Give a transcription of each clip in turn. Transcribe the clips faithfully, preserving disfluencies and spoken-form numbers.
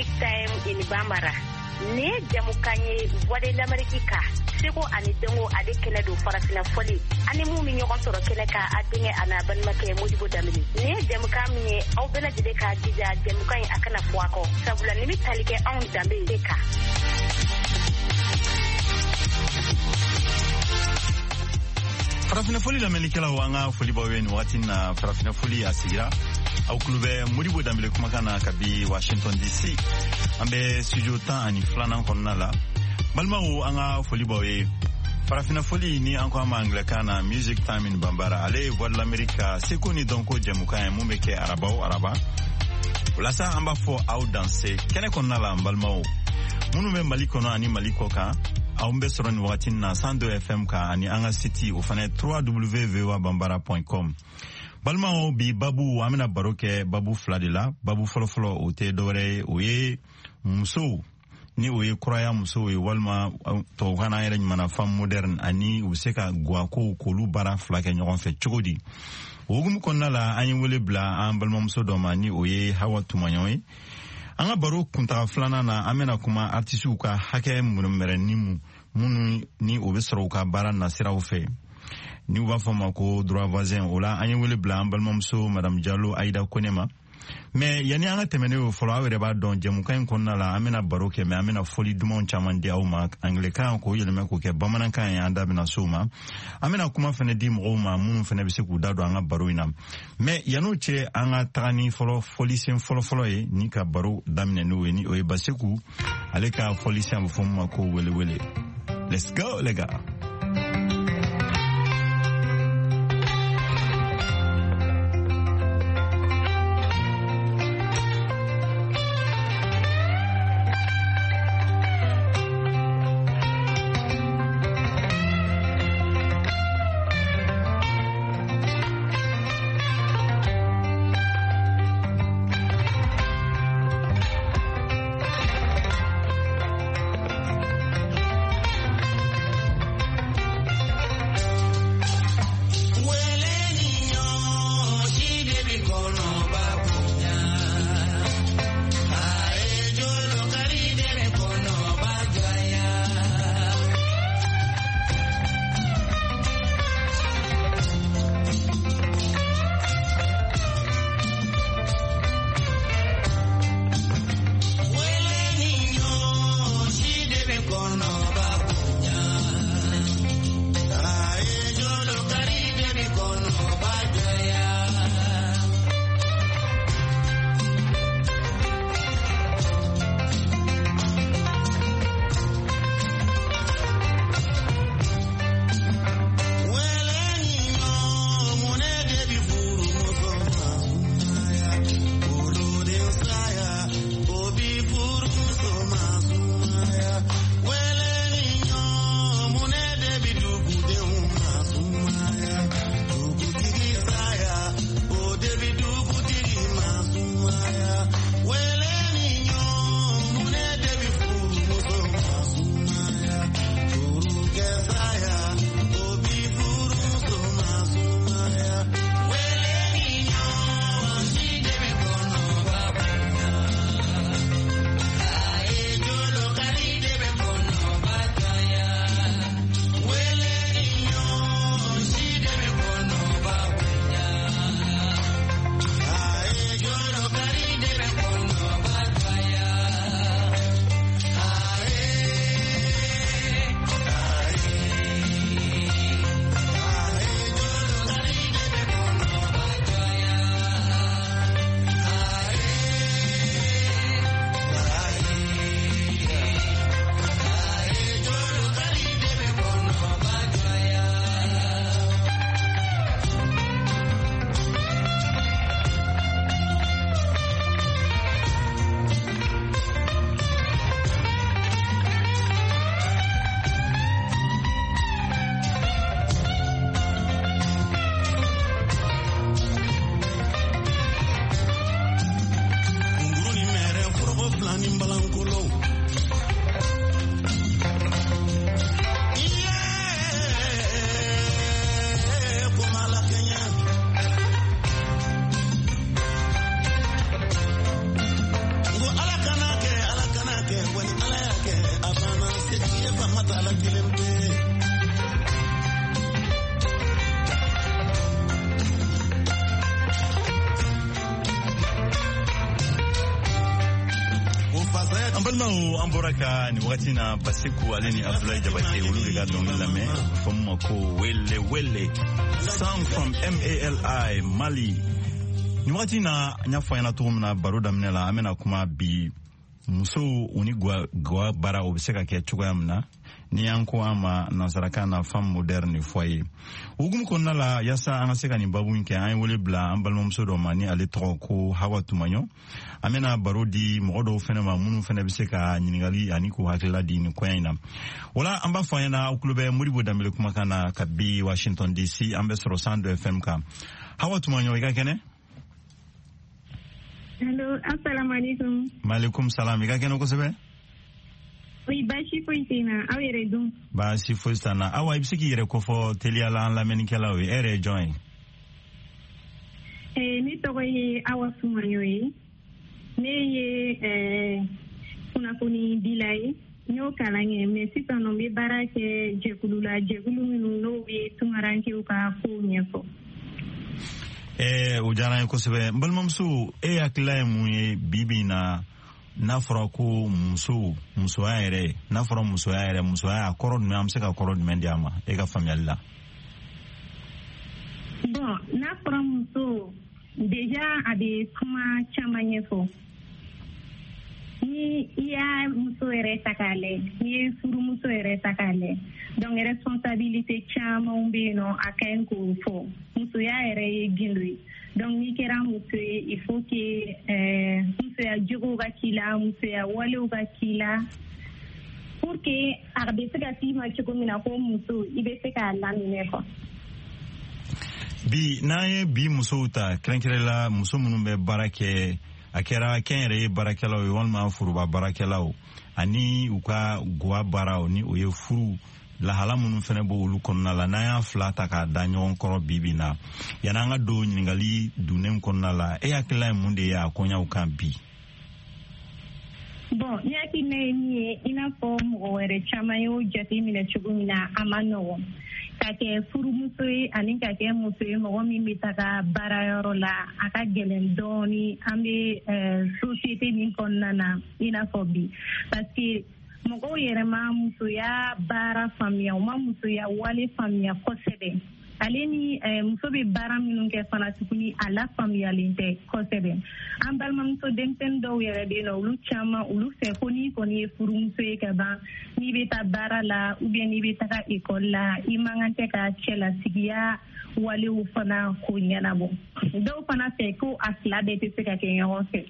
Music Time in Bambara. Nin ye jamukan ye Voix de l'Amérique kan, seko ani dɔnko ale kɛnɛ don farafinna fɔli ani mun bɛ ɲɔgɔn sɔrɔ kɛnɛ kan, a denkɛ a n'a balimakɛ Modibo Danbele. Nin ye jamukan min ye, aw bɛɛ lajɛlen k'a jija jamukan in a kana fɔ a kɔ, sabula nin bɛ tali kɛ anw danbe de kan. Farafinna foli lamɛnnikɛlaw, an ka foli b'aw ye nin waati na. Farafinna foli a sigira, aw tulo bɛ Modibo Danbele kumakan na kabi Washington D C, an bɛ studio tan ani filanan kɔnɔna la. Balimaw, an ka foli b'aw ye. Farafinna foli ni an ko a ma angilɛkan na Music Time in Bambara, ale ye Voix de l'Amérique ka seko ni dɔnko jɛmukan ye mun bɛ kɛ araba o araba. O la sa, an b'a fɔ aw danse kɛnɛ kɔnɔna la. An balimaw minnu bɛ Mali kɔnɔ ani Mali kɔ kan, aw bɛ sɔrɔ nin wagati na cent deux F M kan ani an ka site, o fana ye W W W point voabambara point com. Balimaw, bi babu, an bɛna baro kɛ babu fila de la. Babu fɔlɔfɔlɔ, o tɛ dɔwɛrɛ ye, o ye musow ni o ye kuraya musow ye, walima tubabukan na an yɛrɛ ɲumanna femme moderne, ani u bɛ se ka guwakow k'olu baara fila kɛ ɲɔgɔn fɛ cogo di. O hukumu kɔnɔna la, an ye wele bila an balimamuso dɔ ma, ni o ye Hawa Tumaɲɔgɔn ye. An ka baro kuntaga filanan na, an bɛna kuma artisiw ka hakɛ mɛrɛni mu minnu ni o bɛ sɔrɔ u ka baara nasiraw fɛ, ni u b'a fɔ ma ko droit voisin. O la, an ye wele bila an balimamuso Madame Jalo Ayida Kone ma. Mais yanni an ka tɛmɛ ne o fɔlɔ, aw yɛrɛ b'a dɔn, jɛmukan in kɔnɔna la, an bɛna baro kɛ, mais an bɛna fɔli dumanw caman di aw ma angilɛkan k'o yɛlɛmɛ k'o kɛ bamanankan ye. An da bɛna s'o ma. An bɛna kuma fɛnɛ di mɔgɔw ma minnu fɛnɛ bɛ se k'u da don an ka baro in na. Mais yann'o cɛ, an ka taga ni fɔlɔ fɔlisen fɔlɔfɔlɔ ye ni ka baro daminɛ n'o ye, ni o ye Baseku ale ka fɔlisen, a bɛ fɔ min ma ko welewele. Let's go, les gars. Balimaw, an bɔra ka nin wagati na Basiku ale ni Abdoulaye Jabate, olu de ka dɔnkili lamɛn, a bɛ fɔ min ma ko Wele Wele, song from M A L I, Mali. Nin wagati na, n y'a fɔ an ɲɛna cogo min na baro daminɛ la, an bɛna kuma bi musow u ni gwa gwa baara, o bɛ se ka kɛ cogoya min na, ni an ko an ma nansarakan na femme moderne foyer. Hukumu kɔnɔna la, yaasa an ka se ka nin babu in kɛ, an ye wele bila an balimamuso dɔ ma ni ale tɔgɔ ko Hawa Tumaɲɔ. An bɛna baro di mɔgɔ dɔw fɛnɛ ma minnu fɛnɛ bɛ se ka ɲininkali ani k'u hakilila di nin koɲa in na. Wala an b'a fɔ an ɲɛna, aw tulo bɛ Modibo Danbele kumakan na kabi Washington D C, an bɛ sɔrɔ cent deux F M kan. Hawa Tumaɲɔ, i ka kɛnɛ? Allo, assalamu alaikum. Maaleykum salam, i ka kɛnɛ kosɛbɛ? Oui, baasi foyi tɛ n na, aw yɛrɛ dun? Baasi foyi t'an na. Awa, i bɛ se k'i yɛrɛ kofɔ teliya la an lamɛnnikɛlaw ye, e yɛrɛ ye jɔn ye? Eh, ne tɔgɔ ye Awa Sumaɲɔ ye. Ne ye eh, kunnafonidila ye. N y'o kalan kɛ, mais sisan nɔ n bɛ baara kɛ jɛkulu la, jɛkulu minnu n'o bɛ tunkarankew ka kow ɲɛfɔ. Ɛɛ, o diyara n ye kosɛbɛ. N balimamuso, e hakilila ye mun ye bi bi in na, n'a fɔra ko muso, musoya yɛrɛ, n'a fɔra musoya yɛrɛ, musoya a kɔrɔ jumɛn, an bɛ se ka kɔrɔ jumɛn di a ma e ka faamuyali la? Bon, n'a fɔra muso, déjà a bɛ kuma caman ɲɛfɔ. Ni i y'a muso yɛrɛ ta k'a lajɛ, n'i ye furumuso yɛrɛ ta k'a lajɛ, donc responsabilité camanw bɛ yen nɔ, a ka ɲi k'o fɔ. Musoya yɛrɛ ye gindo ye. Donc n'i kɛra muso ye, il faut que euh, musoya jogow ka k'i la, musoya walew ka k'i la, pour que a bɛ se ka f'i ma cogo min na ko muso, i bɛ se k'a laminɛ quoi. Bi n'an ye bi musow ta, kɛrɛnkɛrɛnla muso minnu bɛ baara kɛ, a kɛra kɛnyɛrɛye baarakɛlaw ye walima foroba baarakɛlaw, ani u ka gwa baaraw, ni o ye furu lahala minnu fɛnɛ b'o olu kɔnɔna la, n'an y'a fila ta k'a da ɲɔgɔn kɔrɔ bi bi na, yan'an ka don ɲininkali dunnen kɔnɔna la, e hakilila ye mun de ye a koɲaw kan bi? Bon, ne hakilina ye min ye, i n'a fɔ mɔgɔ wɛrɛ caman y'o jate minɛ cogo min na, a ma nɔgɔn ka kɛ furumuso ye ani ka kɛ muso ye mɔgɔ min bɛ taga baarayɔrɔ la. A ka gɛlɛn dɔɔni an bɛ société min kɔnɔna na i n'a fɔ bi, parce que mɔgɔw yɛrɛ ma musoya baara faamuya, u ma musoya wale faamuya kosɛbɛ. Ale ni muso bɛ baara minnu kɛ fana tuguni, a lafaamuyalen tɛ kosɛbɛ. An balimamuso denmisɛnnin dɔw yɛrɛ bɛ yen nɔ, olu caman olu fɛ ko n'i kɔni ye furumuso ye ka ban, n'i bɛ taa baara la ou bien n'i bɛ taga ekɔli la, i man kan tɛ ka cɛlasigiya walew fana ko ɲɛnabɔ. Dɔw fana fɛ ko a fila bɛɛ tɛ se ka kɛ ɲɔgɔn fɛ.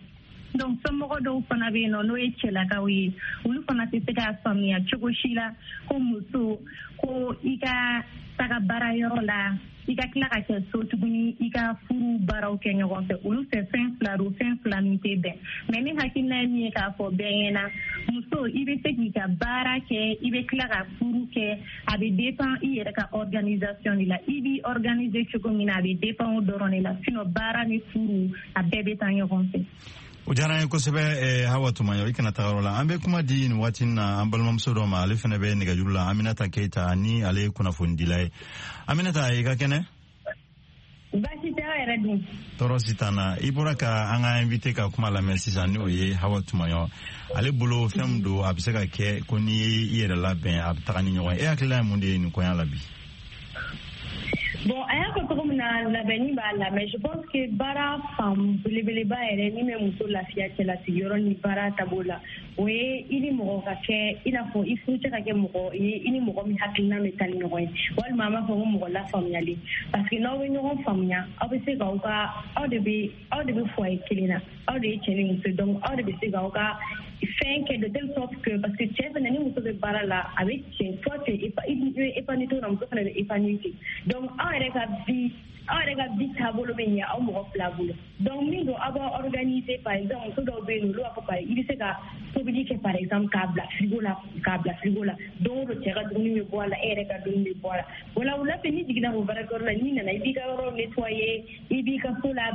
Donc somɔgɔ dɔw fana bɛ yen nɔ, n'o ye cɛlakaw ye, olu fana tɛ se k'a faamuya cogo si la ko muso ko i ka taga baarayɔrɔ la, i ka tila ka kɛ so tuguni, i ka furu baaraw kɛ ɲɔgɔn fɛ. Olu fɛ fɛn fila don, fɛn fila min tɛ bɛn. Mais ne hakilina ye min ye k'a fɔ bɛɛ ɲɛna, muso, i bɛ se k'i ka baara kɛ, i bɛ tila ka furu kɛ. A bɛ dépend i yɛrɛ ka organisation de la, i b'i organiser cogo min na, a bɛ dépend o dɔrɔn de la. Sinon baara ni furu, a bɛɛ bɛ taa ɲɔgɔn fɛ. O diyara an ye kosɛbɛ. eh, hawa Tumaɲɔ, i kana taga yɔrɔ la. An bɛ kuma di nin waati na an balimamuso dɔ ma, ale fɛnɛ bɛ nɛgɛjuru la, Aminata Keyita, ni ale ye kunnafonidila ye. Aminata, i ka kɛnɛ? Baasi tɛ, aw yɛrɛ dun? Tɔɔrɔ si t'an na. I bɔra ka an ka invité ka kuma lamɛn sisan, ni o ye Hawa Tumaɲɔ. Ale bolo, fɛn min don, a bɛ se ka kɛ ko n'i ye i yɛrɛ labɛn, a bɛ taga ni ɲɔgɔn ye. E hakilila ye mun de ye nin koɲa la bi? Bon, a y'a fɔ cogo min na, labɛnni b'a la, mais je pense que baara fan belebeleba yɛrɛ min bɛ muso lafiya cɛlasigiyɔrɔ ni baara taabolo la, o ye i ni mɔgɔ ka kɛ i n'a fɔ i furucɛ ka kɛ mɔgɔ ye, i ni mɔgɔ min hakilina bɛ taa ni ɲɔgɔn ye, walima an b'a fɔ ko mɔgɔ lafaamuyalen, parce que n'aw bɛ ɲɔgɔn faamuya, aw bɛ se k'aw ka aw de bɛ aw de bɛ foyer kelen na, aw de ye cɛ ni muso ye, donc aw de bɛ se k'aw ka fɛn kɛ de telle sorte que, parce que cɛ fɛnɛ ni muso bɛ baara la, a bɛ cɛ, toi tu es i bɛ épanoui cogo min na, muso fɛnɛ bɛ épanoui ten. Donc aw yɛrɛ ka vie aw yɛrɛ ka vie taabolo bɛ ɲɛ aw mɔgɔ fila bolo. Donc min don, aw b'aw organiser. Par exemple, muso dɔw bɛ yen nɔ, olu b'a fɔ par i bɛ se ka tobili kɛ, par exemple k'a bila frigo la k'a bila frigo la don o don, cɛ ka dumuni bɛ bɔ a la, e yɛrɛ ka dumuni bɛ bɔ a la. O la, wula fɛ, n'i jiginna o baarakɛyɔrɔ la, n'i nana, i b'i ka yɔrɔ nettoyer, i b'i ka so la